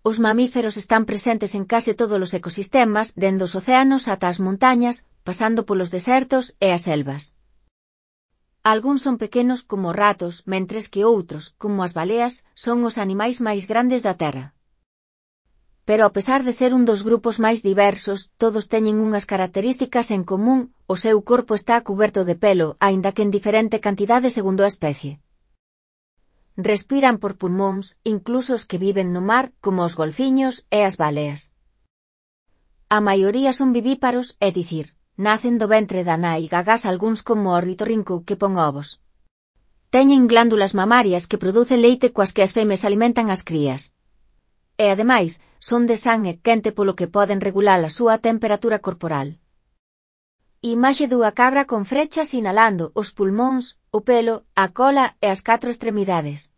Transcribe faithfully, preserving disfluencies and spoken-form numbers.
Os mamíferos están presentes en case todos os ecosistemas, dende os océanos ata as montañas, pasando polos desertos e as selvas. Algúns son pequenos como os ratos, mentres que outros, como as baleas, son os animais máis grandes da Terra. Pero a pesar de ser un dos grupos máis diversos, todos teñen unhas características en común: o seu corpo está cuberto de pelo, aínda que en diferente cantidade segundo a especie. Respiran por pulmóns, incluso os que viven no mar, como os golfiños e as baleas. A maioría son vivíparos, é dicir, nacen do ventre da nai, gagás algúns como o ornitorrinco que pon ovos. Teñen glándulas mamarias que producen leite coas que as femes alimentan as crías. E ademais, son de sangue quente polo que poden regular a súa temperatura corporal. Imaxe dunha cabra con frechas sinalando os pulmóns, o pelo, a cola e as catro extremidades.